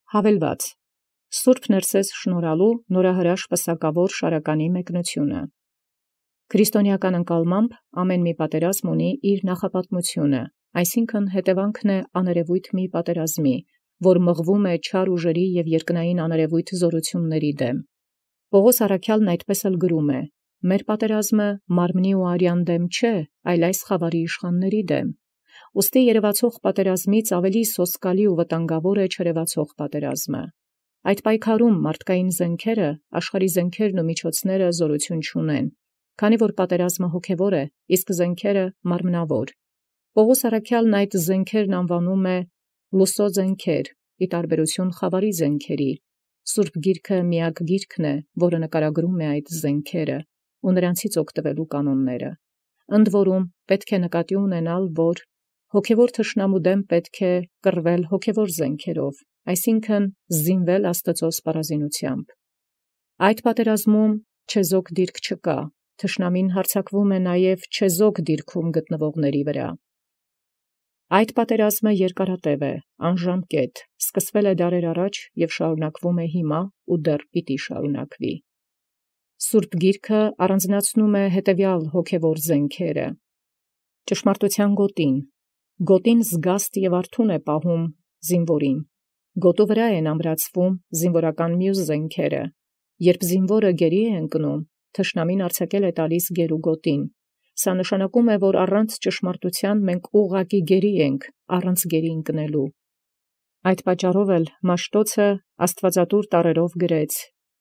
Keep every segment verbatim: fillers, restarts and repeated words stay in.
Հավելված. Սուրբ Ներսես շնորհալու նորահրաշ պսակավոր շարականի մեկնությունը։ Քրիստոնեական ընկալմամբ ամեն մի պատերազմ ունի իր նախապատմությունը, այսինքն հետևանքն է աներևույթ մի պատերազմի, որ մղվում է չար ուժերի և երկնային աներևույթ զորությունների դեմ։ Պողոս առաքյալն այդպես էլ գրում է. մեր պատերազմը մարմնի ու արյան դեմ չէ, այլ այս խավարի իշխանների դեմ։ Ուստի երևացող պատերազմից ավելի սոսկալի ու վտանգավոր է չերևացող պատերազմը։ Այդ պայքարում մարդկային զենքերը, աշխարհի զենքերն ու միջոցները զորություն չունեն, քանի որ պատերազմը հոգևոր է, իսկ զենքերը մարմնավոր։ Պողոս առաքյալն այդ զենքերն անվանում է լուսո զենքեր, ի տարբերություն խավարի զենքերի։ Սուրբ Գիրքը միակ գիրքն է, որը նկարագրում է այդ զենքերը ու նրանցից օգտվելու կանոնները։ Ընդ որում պետք է նկատի ունենալ, որ հոգևոր թշնամու դեմ պետք է կռվել հոգևոր զենքերով, այսինքն զինվել Աստծո սպառազինությամբ։ Այդ պատերազմում չեզոք դիրք չկա, թշնամին հարձակվում է նաև չեզոք դիրքում գտնվողների վրա։ Այդ պատերազմը երկարատև է, անժամկետ, սկսվել է դարեր առաջ և շարունակվում է հիմա ու դեռ պիտի շարունակվի։ Սուրբ Գիրքը առանձնացնում է հետևյալ հոգևոր զենքերը. ճշմարտության գոտին, գոտին զգաստ և արթուն է պահում զինվորին, գոտու վրա են ամրացվում զինվորական մյուս զենքերը, երբ զինվորը գերի է ընկնում, թշնամին արձակել է տալիս գերու գոտին, սա նշանակում է, որ առանց ճշմարտության մենք ուղղակի գերի ենք, առանց գերի ընկնելու։ Այդ պատճառով էլ Մաշտոցը աստվածատուր տառերով գրեց.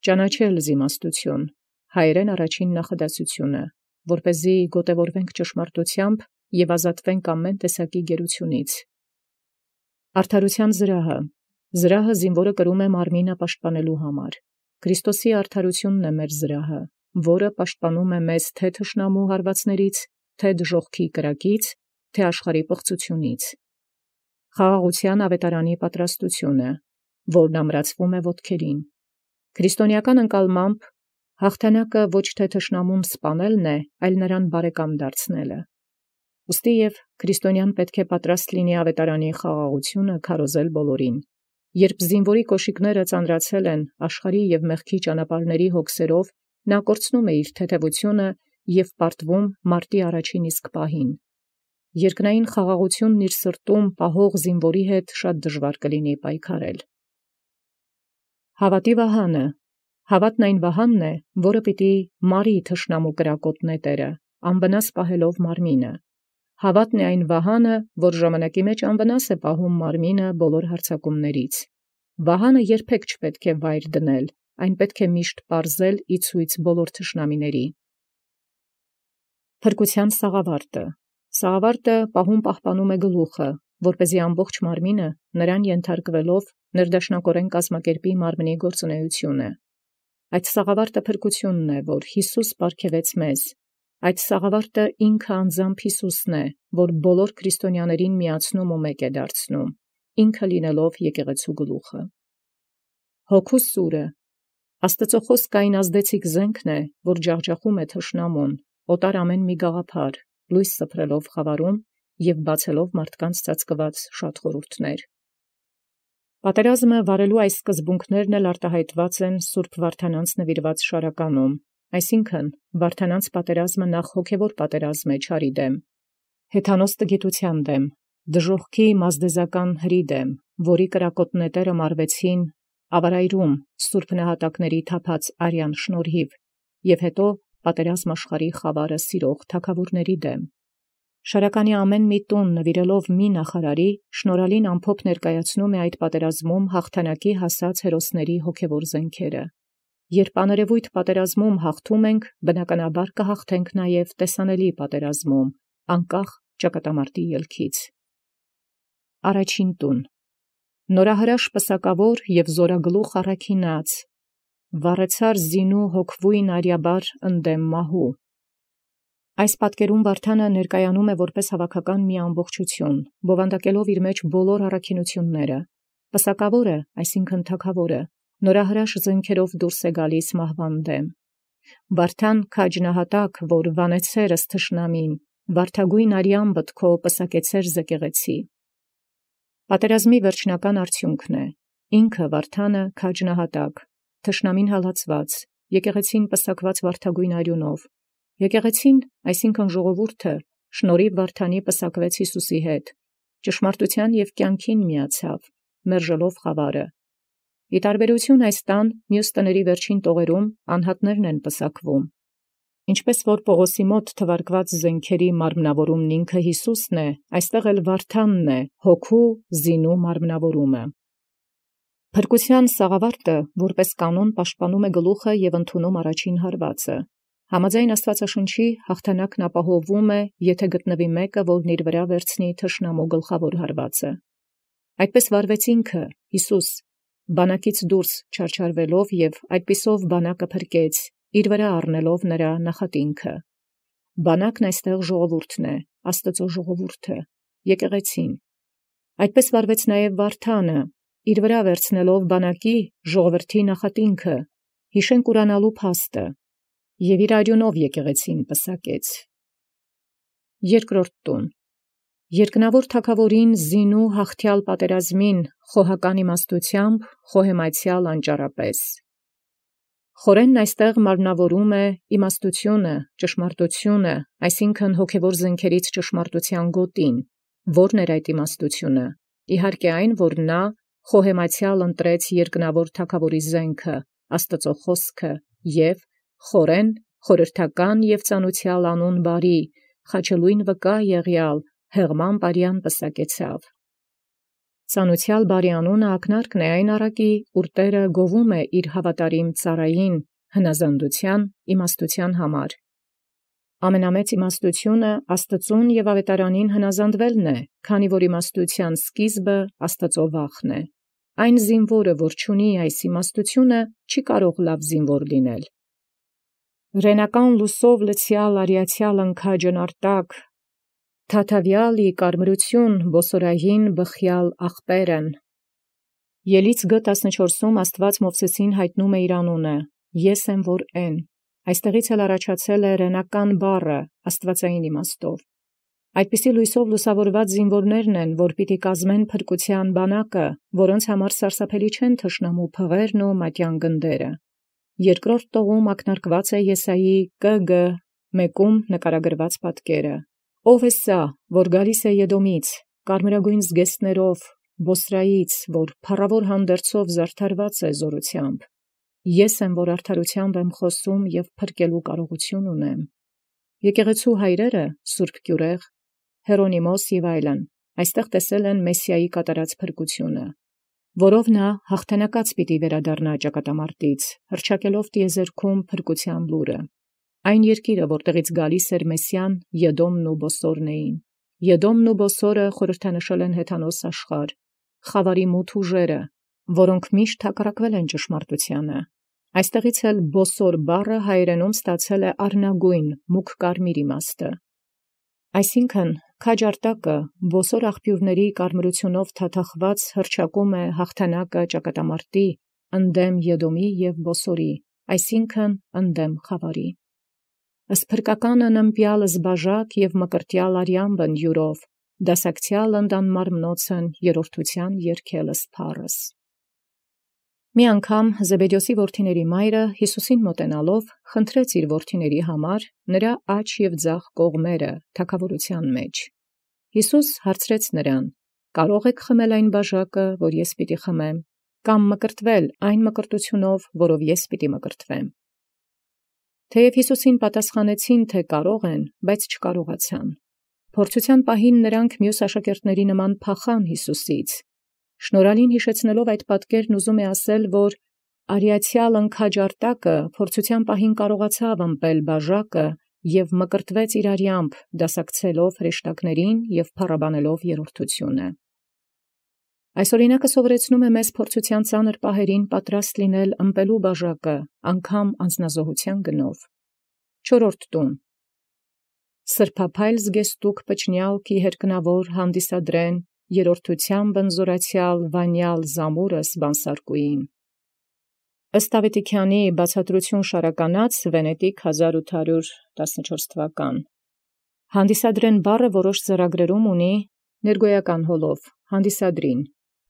«Ճանաչել զիմաստություն», հայերեն առաջին նախադասությունը, որպեսզի գոտևորվենք ճշմարտությամբ և ազատվենք ամեն տեսակի գերությունից։ Արդարության զրահը, զրահը զինվորը կրում է մարմինը պաշտպանելու համար։ Քրիստոսի արդարությունն է մեր զրահը, որը պաշտպանում է մեզ թե թշնամու հարվածներից, թե դժոխքի կրակից, թե աշխարհի պղծությունից։ Խաղաղության ավետարանի պատրաստությունը, որն ամրացվում է ոտքերին։ Քրիստոնեական ընկալմամբ հաղթանակը ոչ թե թշնամուն սպանելն է, այլ նրան բարեկամ դարձնելը։ Ուստի և քրիստոնյան պետք է պատրաստ լինի ավետարանի խաղաղությունը քարոզել բոլորին։ Երբ զինվորի կոշիկները ծանրացել են աշխարհի և մեղքի ճանապարհների հոգսերով, նա կորցնում է իր թեթևությունը և պարտվում մարտի առաջին իսկ պահին։ Երկնային խաղաղությունն իր սրտում պահող զինվորի հետ շատ դժվար կլինի պայքարել։ Հավատի վահանը, հավատն այն վահանն է, որը պիտի մարի թշնամու կրակոտ նետերը, անվնաս պահելով մարմինը։ Հավատն է այն վահանը, որ ժամանակի մեջ անվնաս է պահում մարմինը բոլոր հարձակումներից։ Վահանը երբեք չպետք է վայր դնել, այն պետք է միշտ պարզել ի ցույց բոլոր թշնամիների։ Փրկության սաղավարտը, սաղավարտը պահում պահպանում է գլուխը, որպեսզի ամբողջ մարմինը նրան ենթարկվելով ներդաշնակորեն կազմակերպի մարմնի գործունեությունը։ Այդ սաղավարտը փրկությունն է, որ Յիսուս պարգևեց մեզ։ Այդ սաղավարտը ինքը անձամբ Յիսուսն է, որ բոլոր քրիստոնյաներին միացնում ու մեկ է դարձնում, ինքը լինելով եկեղեցու գլուխը։ Հոգու սուրը, Աստծո խոսքը այն ազդեցիկ զենքն է, որ ջախջախում է թշնամուն, օտար ամեն մի գաղափար, լույս սփռելով խավարում և բացելով մարդկանց ծածկված շատ խորհուրդներ։ Պատերազմը վարելու այս սկզբունքներն էլ արտահայտված են Սուրբ Վարդանանց նվիրված շարականում, այսինքն Վարդանանց պատերազմը նախ հոգևոր պատերազմ է չարի դեմ, հեթանոս տգիտության դեմ, դժոխքի մազդեզական հրի դեմ, որի կրակոտ նետերը մարվեցին ավարայրում սուրբ նահատակների թափած արյան շնորհիվ, և հետո պատերազմ աշխարհի խավարը սիրող թագավորների դեմ։ Շարականի ամեն մի տուն նվիրելով մի նախարարի, շնորհալին ամփոփ ներկայացնում է այդ պատերազմում հաղթանակի հասած հերոսների հոգևոր զենքերը։ Երբ աներևույթ պատերազմում հաղթում ենք, բնականաբար կհաղթենք նաև տեսանելի պատերազմում, անկախ ճակատամարտի ելքից։ Առաջին տուն, նորահրաշ պսակավոր և զորագլուխ առաքինած, վառեցար զինու հոգվույն արյաբար ընդդեմ մահու։ Այս պատկերում Վարդանը ներկայանում է որպես հավաքական մի ամբողջություն, բովանդակելով իր մեջ բոլոր առաքինությունները։ Պսակավորը, այսինքն թագավորը, նորահրաշ զենքերով դուրս է գալիս մահվան դեմ։ Վարդան քաջնահատակ, որ վանեցեր ըստ թշնամին, վարդագույն արյամբդ քո պսակեցեր զեկեղեցի։ Պատերազմի վերջնական արդյունքն է, ինքը Վարդանը քաջնահատակ, թշնամին հալածված, եկեղեցին պսակված վարդագույն արյունով, եկեղեցին, այսինքն ժողովուրդը, շնորհիվ Վարդանի պսակվեց Յիսուսի հետ, ճշմարտութեան և կյանքին միացավ, մերժելով խավարը։ Ի տարբերություն այս տան, մյուս տների վերջին տողերում անհատներն են պսակվում։ Ինչպես որ Պողոսի մոտ թվարկված զենքերի մարմնավորումն ինքը Յիսուսն է, այստեղ էլ Վարդանն է, հոգու զինու մարմնավորումը։ Փրկության սաղավարտը, որպես կանոն, պաշտպանում է գլուխը և ընդունում առաջին հարվածը։ Համաձայն Աստվածաշնչի հաղթանակն ապահովվում է, եթե գտնվի մեկը, որն իր վրա վերցնի թշնամու գլխավոր հարվածը։ Այդպես վարվեց ինքը, Յիսուս, բանակից դուրս չարչարվելով և այդպիսով բանակը փրկեց, իր վրա առնելով նրա նախատինքը։ Բանակն այստեղ ժողովուրդն է, Աստծո ժողովուրդը, եկեղեցին։ Այդպես վարվեց նաև Վարդանը, իր վրա վերցնելով բանակի ժողովրդի նախատինքը, հիշենք ուրանալու փաստը, և իր արյունով եկեղեցին պսակեց։ Երկրորդ տուն։ Երկնավոր թագավորին զինու հաղթյալ պատերազմին խոհական իմաստությամբ, խոհեմայցյալ անճարապես։ Խորենն այստեղ մարմնավորում է իմաստությունը, ճշմարտությունը, այսինքն հոգևոր զենքերից ճշմարտության գոտին, որն էր այդ իմաստությունը, իհարկե այն, որ նա խոհեմայցյալ ընտրեց երկնավոր թագավորի զենքը, Աստծո խոսքը, և խորեն, խորհրդական և ծանուցյալ անուն բարի, խաչելույն վկա եղյալ, հեղման բարյան պսակեցավ։ Ծանուցյալ բարի անունը ակնարկն է այն առակի, ուր Տէրը գովում է իր հավատարիմ ծառային հնազանդության, իմաստության համար։ Ամենամեծ իմաստությունը Աստծուն և ավետարանին հնազանդվելն է, քանի որ իմաստության սկիզբը Աստծո վախն է։ Այն զինվորը, որ չունի այս իմաստությունը, չի կարող լավ զինվոր լինել։ Ռենական լուսով լցյալ արիացյալ ընքաջն արտակ, թաթավյալի կարմրություն բոսորային բխյալ աղբերն։ Ելից գ տասնչորսում Աստված Մովսեսին հայտնում է իր անունը. Ես եմ որ են։ Այստեղից էլ առաջացել է ռենական բառը աստվածային իմաստով։ Այդպիսի լույսով լուսավորված զինվորներն են, որ պիտի կազմեն փրկության բանակը, որոնց համար սարսափելի չեն թշնամու փղերն ու մատյան գնդերը։ Երկրորդ տողում ակնարկված է Եսայի կը գը մեկում նկարագրված պատկերը։ Ո՞վ է սա, որ գալիս է Եդոմից, կարմրագույն զգեստներով, Բոսրայից, որ փառավոր հանդերձով զարդարված է զորությամբ։ Ես եմ, որ արդարությամբ եմ խոսում և փրկելու կարողություն ունեմ։ Եկեղեցու հայրերը, Սուրբ Կյուրեղ, Հերոնիմոս և այլն, այստեղ տեսել են Մեսիայի կատարած փրկությունը, որով նա հաղթանակած պիտի վերադառնա ճակատամարտից, հռչակելով տիեզերքում փրկության լուրը։ Այն երկիրը, որտեղից գալիս էր Մեսիան, Եդոմն ու Բոսորն էին։ Եդոմն ու Բոսորը խորհրդանշել են հեթանոս աշխարհ, խավարի մութ ուժերը, որոնք միշտ հակառակվել են ճշմարտությանը։ Այստեղից էլ Բոսոր բառը հայերենում ստացել է առնագույն, մուգ կարմիր իմաստը։ Այսինքն, քաջ արտակը Բոսոր աղբյուրների կարմրությունով թաթախված հռչակում է հաղթանակը ճակատամարտի, ընդդեմ Եդոմի և Բոսորի, այսինքն ընդդեմ խավարի։ Ըստ փրկականը նմպյալ զբաժակ և մկրտյալ արյամբն յուրով, դասակցյալ ընդան մարմնոցն երրորդության երգելս փառս։ Մի անգամ Զեբեդեոսի որդիների մայրը Յիսուսին մոտենալով խնդրեց իր որդիների համար նրա աջ և ձախ կողմերը թագավորության մեջ։ Յիսուս հարցրեց նրան. «Կարո՞ղ եք խմել այն բաժակը, որ ես պիտի խմեմ, կամ մկրտվել այն մկրտությունով, որով ես պիտի մկրտվեմ»։ Թեև Յիսուսին պատասխանեցին, թե կարող են, բայց չկարողացան։ Փորձության պահին նրանք մյուս աշակերտների նման փախան Յիսուսից։ Շնորհալին հիշեցնելով այդ պատկերն ուզում է ասել, որ արիացյալ ընքաջ արտակը փորձության պահին կարողացավ ըմպել բաժակը և մկրտվեց իր արյամբ, դասակցելով հրեշտակներին և փառաբանելով երրորդությունը։ Այս օրինակը սովորեցնում է մեզ փորձության ծանր պահերին պատրաստ լինել ըմպելու բաժակը, անգամ անձնազոհության գնով։ Չորրորդ տուն։ Սրբափայլ զգեստուկ պճնյալքի հերկնավոր հանդիսադրեն երրորդությամբ ընզորացյալ վանյալ զամուրս բանսարկուին։ Ըստ Ավետիքյանի բացատրություն շարականած Վենետիկ հազար ութ հարյուր տասնչորս թվական։ Հանդիսադրեն բառը որոշ ձեռագրերում ունի ներգոյական հոլով, հանդիսադրին,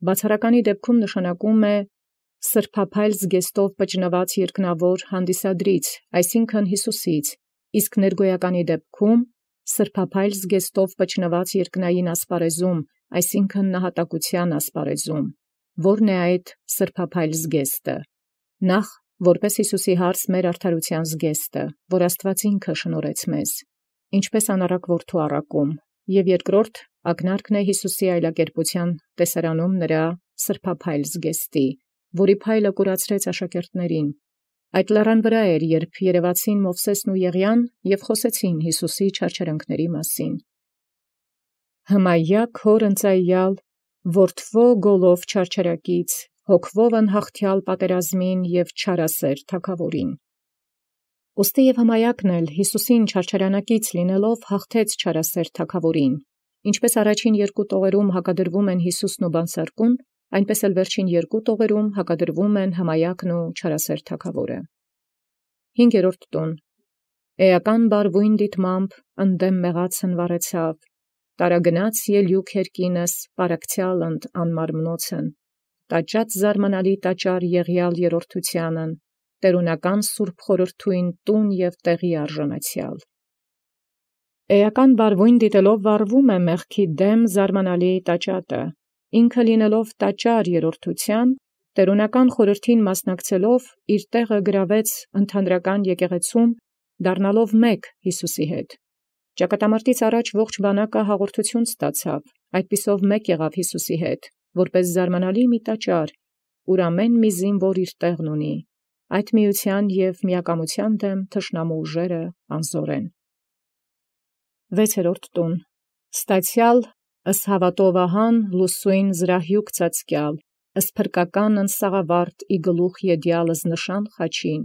Բացառականի դեպքում նշանակում է սրբափայլ զգեստով պճնված երկնավոր հանդիսադրից, այսինքն Յիսուսից, իսկ ներգոյականի դեպքում սրբափայլ զգեստով պճնված երկնային ասպարեզում, այսինքն նահատակության ասպարեզում, որն է այդ սրբափայլ զգեստը, նախ որպես Յիսուսի հարց մեր արդարության զգեստը, որ Աստված ինքը շնորհեց մեզ, ինչպես անառակ որդու առակում, և երկրորդ ակնարկն է Յիսուսի այլակերպության տեսարանում նրա սրբափայլ զգեստի, որի փայլը կուրացրեց աշակերտներին։ Այդ լեռան վրա էր, երբ երևացին Մովսեսն ու Եղիան և խոսեցին Յիսուսի չարչարանքների մասին։ Հմայեակ հոր ընծայյալ, որդվո գոլով չարչարակից, հոգվով ընհաղթյալ պատերազմին և չարասեր թագավորին։ Ուստի և հմայեակն էլ Յիսուսին չարչարանակից լինելով հաղթեց չարասեր թագավորին, ինչպես առաջին երկու տողերում հակադրվում են Յիսուսն ու բանսարկուն, այնպես էլ վերջին երկու տողերում հակադրվում են հմայեակն ու չարասեր թագավորը։ Հինգերորդ տուն. Էական բարվույն դիտմամբ ընդդեմ մեղացն վառեցավ, տարագնաց ելյուք երկինս պարակցյալ ընդ անմարմնոցն, տաճած զարմանալի տաճար եղյալ երրորդությանն, տերունական սուրբ խորհրդույն տուն և տեղի արժանացյալ։ Էական բարվույն դիտելով վառվում է մեղքի դեմ զարմանալի տաճատը, ինքը լինելով տաճար երրորդութեան, տերունական խորհրդին մասնակցելով իր տեղը գրավեց ընդհանրական եկեղեցում, դառնալով մեկ Յիսուսի հետ։ Ճակատամարտից առաջ ողջ բանակը հաղորդություն ստացավ, այդպիսով մեկ եղավ Յիսուսի հետ, որպես զարմանալի մի տաճար, ուր ամեն մի զինվոր իր տեղն ունի, այդ միության և միակամության դեմ թշնամու ուժերը անզոր են։ Վեցերորդ տուն. Ստացյալ ըս հավատովահան լուսույն զրահյուկ ծածկյալ, ըս փրկական ընսաղավարտ ի գլուխ եդյալս նշան խաչին,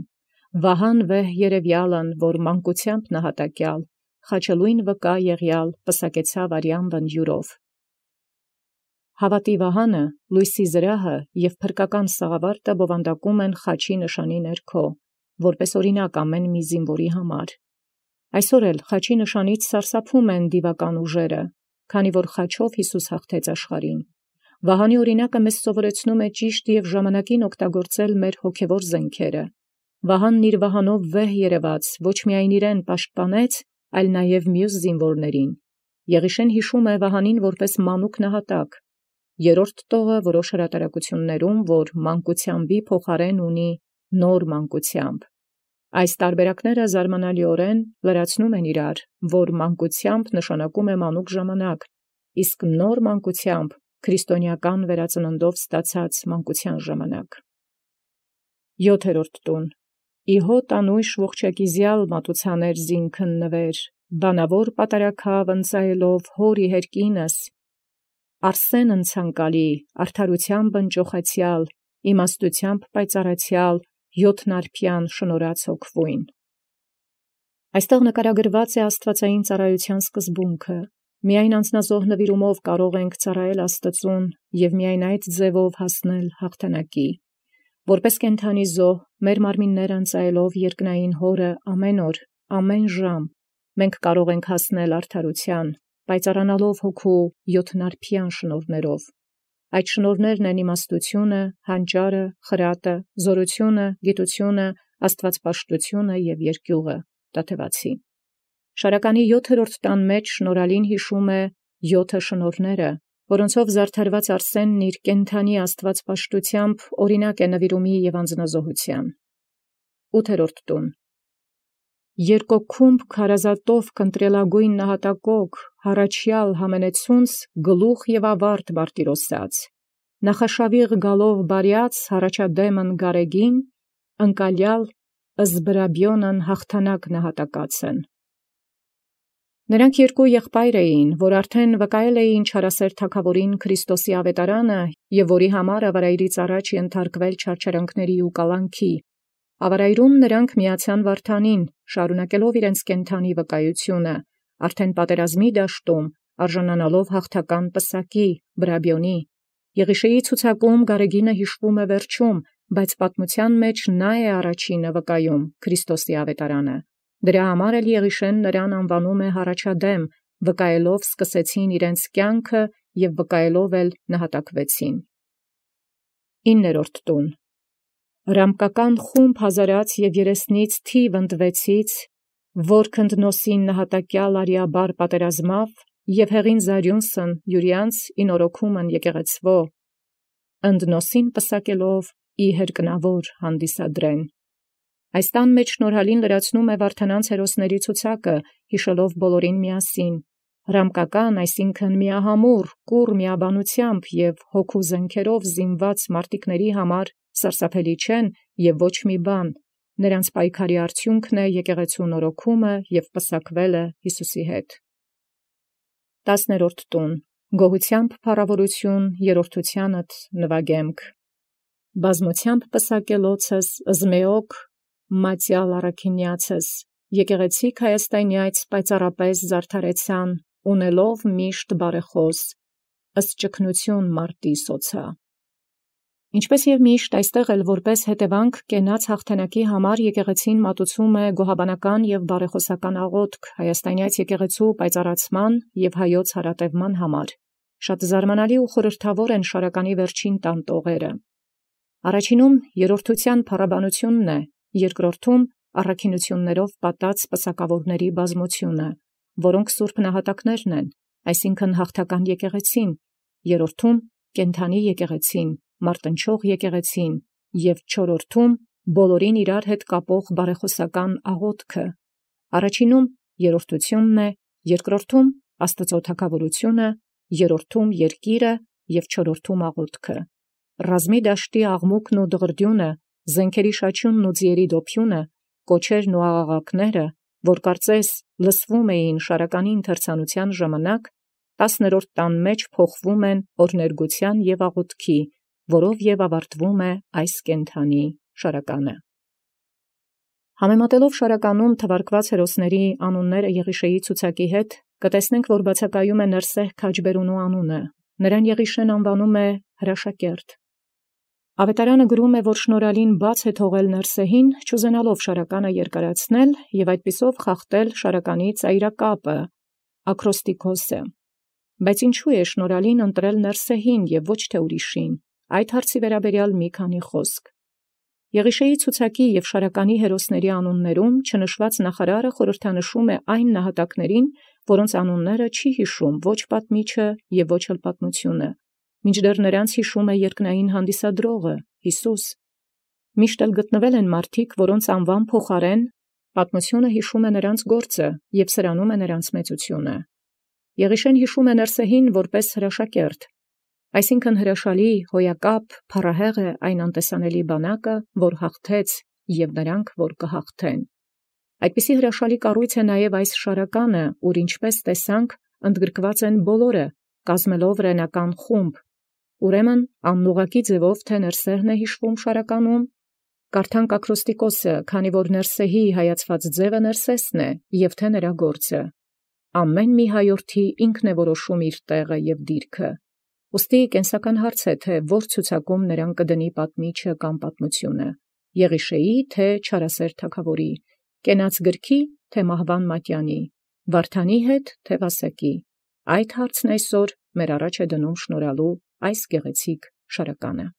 վահան վեհ երևյալն, որ մանկությամբ նահատակյալ, խաչելույն վկա եղյալ, պսակեցավ արյան վնջյուրով։ Հավատի վահանը, լույսի զրահը և փրկական սաղավարտը բովանդակում են խաչի նշանի ներքո, որպես օրինակ ամեն մի զինվորի համար։ Այսօր էլ խաչի նշանից սարսափում են դիվական ուժերը, քանի որ խաչով Յիսուս հաղթեց աշխարհին։ Վահանի օրինակը մեզ սովորեցնում է ճիշտ և ժամանակին օգտագործել մեր հոգևոր զենքերը։ Վահանն իր վահանով վեհ երևաց, ոչ միայն իրեն պաշտպանեց, այլ նաև մյուս զինվորներին։ Եղիշեն հիշում է վահանին որպես մանուկ նահատակ։ Երրորդ տողը որոշ հրատարակություններում, որ մանկությանբի փոխարեն ունի նոր մանկությամբ։ Այս տարբերակները զարմանալիորեն լրացնում են իրար, որ մանկությամբ նշանակում է մանուկ ժամանակ, իսկ նոր մանկությամբ քրիստոնեական վերածննդով ստացած մանկության ժամանակ։ Յոթերորդ տուն. Իհոտ անույշ ողջակիզյալ մատուցաներ զինքն նվեր, բանավոր պատարակավ ընծայելով հոր իհերկինս, Արսեն ընցանկալի, արդարութեամբ ընճոխացյալ, իմաստությամբ պայծառացյալ, յոթնարբյան շնորհած հոգվույն։ Այստեղ նկարագրված է աստվածային ծառայության սկզբունքը։ Միայն անձնազոհ նվիրումով կարող ենք ծառայել Աստծուն և միայն այդ ձևով հասնել հաղթանակի։ Որպես կենդանի զոհ, մեր մարմինները ընծայելով երկնային Հորը ամեն օր, ամեն ժամ, մենք կարող ենք հասնել արդարության, պայծառանալով հոգու յոթնարբյան շնորհներով։ Այդ շնորհներն են իմաստությունը, հանճարը, խրատը, զորությունը, գիտությունը, աստվածպաշտությունը և երկյուղը, Տաթևացի։ Շարականի յոթերորդ տան մեջ շնորհալին հիշում է յոթը շնորհները, որոնցով զարդարված Արսենն իր կենդանի աստվածպաշտությամբ օրինակ է նվիրումի և անձնազոհության։ Ութերորդ տուն. Երկոքումբ քարազատով կընտրելագույն նահատակոք, հառաչյալ համենեցունց գլուխ և ավարտ բարտիրոսած, նախաշավիղ գալով բարյաց հառաջադեմն գարեգին, ընկալյալ ըզբրաբյոնն հաղթանակ նահատակացն։ Նրանք երկու եղբայր էին, որ արդեն վկայել էին չարասեր թագավորին Քրիստոսի ավետարանը և որի համար ավարայրից առաջ ենթարկվել չարչարանքների ու կալանքի։ Ավարայրում նրանք միացան վարդանին, շարունակելով իրենց կենդանի վկայությունը, արդեն պատերազմի դաշտում, արժանանալով հաղթական պսակի, Բրաբիոնի։ Եղիշեի ցուցակում Գարեգինը հիշվում է վերջում, բայց պատմության մեջ նա է առաջինը վկայում Քրիստոսի ավետարանը։ Դրա համար էլ Եղիշեն նրան անվանում է հառաջադեմ, վկայելով սկսեցին իրենց կյանքը և վկայելով էլ նահատակվեցին։ Իններորդ տուն. Ռամկական խումբ հազարած և երեսնից թիվ ընտվեցից, որ քնդնոսին նահատակյալ արիաբար պատերազմավ, և հեղին Զարյունսն յուրյանց ինորոքումն եկեղեցվո, ընդնոսին պսակելով ի հերկնավոր հանդիսադրեն։ Այս տան մեջ շնորհալին լրացնում է վարդանանց հերոսների ցուցակը, յիշելով բոլորին միասին, ռամկական, այսինքն միահամուռ, կուռ միաբանությամբ և հոգու զենքերով զինված մարտիկների համար սարսափելի չեն և ոչ մի բան, նրանց պայքարի արդյունքն է եկեղեցու նորոգումը և պսակվելը Յիսուսի հետ։ Տասներորդ տուն. Գոհությամբ փառաւորութիւն երրորդութեանդ նվագեմք։ Բազմությամբ պսակելոցս զմեոք մատյալ առաքինիացս եկեղեցիկ Հայաստանյաց պայծառապես զարդարեցան, ունելով միշտ բարեխոս, ըստ ճգնություն մարտի սոցա։ Ինչպես և միշտ այստեղ էլ որպես հետևանք կենաց հաղթանակի համար եկեղեցին մատուցում է գոհաբանական և բարեխոսական աղոթք հայաստանյաց եկեղեցու պայծառացման և հայոց հարատևման համար։ Շատ զարմանալի ու խորհրդավոր են շարականի վերջին տան տողերը։ Առաջինում երրորդության փառաբանությունն է, երկրորդում առաքինություններով պատած պսակավորների բազմությունը, որոնք սուրբ նահատակներն են, այսինքն հաղթական եկեղեցին, երրորդում կենդանի եկեղեցին, մարտնչող եկեղեցին և չորրորդում բոլորին իրար հետ կապող բարեխոսական աղոթքը։ Առաջինում երրորդությունն է, երկրորդում Աստծո թագավորությունը, երրորդում երկիրը և չորրորդում աղոթքը։ Ռազմի դաշտի աղմուկն ու դղրդյունը, զենքերի շաչյունն ու ձիերի դոփյունը, կոչերն ու աղաղակները, որ կարծես լսվում էին շարականի ընթերցանության ժամանակ, տասներորդ տան մեջ փոխվում են օրհներգության և աղոթքի, որով և ավարտվում է այս կենդանի շարականը։ Համեմատելով շարականում թվարկված հերոսների անունները Եղիշեի ցուցակի հետ, կտեսնենք, որ բացակայում է Ներսեհ քաջբերունու անունը, նրան Եղիշեն անվանում է հրաշակերտ։ Ավետարանը գրում է, որ շնորհալին բաց է թողել Ներսեհին, չուզենալով շարականը երկարացնել և այդպիսով խախտել շարականի ծայրակապը, ակրոստիկոսը։ Բայց ինչու է շնորհալին ընտրել Ներսեհին և ոչ թե ուրիշին, այդ հարցի վերաբերյալ մի քանի խոսք։ Եղիշեի ցուցակի և շարականի հերոսների անուններում չնշված նախարարը խորհրդանշում է այն նահատակներին, որոնց անունները չի հիշում ոչ պատմիչը և ոչ էլ պատմությունը, մինչդեռ նրանց հիշում է երկնային հանդիսադրողը Յիսուս։ Միշտ էլ գտնվել են մարդիկ, որոնց անվան փոխարեն պատմությունը հիշում է նրանց գործը և սրանում է նրանց մեծությունը։ Եղիշեն հիշում է Ներսեհին որպես հրաշակերտ, այսինքն հրաշալի, հոյակապ, փառահեղ է այն անտեսանելի բանակը, որ հաղթեց, և նրանք, որ կհաղթեն։ Այդպիսի հրաշալի կառույց է նաև այս շարականը, ուր ինչպես տեսանք, ընդգրկված են բոլորը, կազմելով ռենական խումբ։ Ուրեմն անուղղակի ձևով թե Ներսեհն է հիշվում շարականում, կարդանք ակրոստիկոսը, քանի որ Ներսեհի հայացված ձևը Ներսեսն է, և թե նրա գործը։ Ամեն մի հայորդի ինքն է որոշում իր տեղը և դիրքը։ Ուստի կենսական հարց է, թե որ ցուցակում նրան կդնի պատմիչը կամ պատմությունը, Եղիշեի թե չարասեր թագավորի, կենաց գրքի թե մահվան մատյանի, Վարդանի հետ թե Վասակի։ Այդ հարցն այսօր մեր առաջ է դնում շնորհալու այս գեղեցիկ շարականը։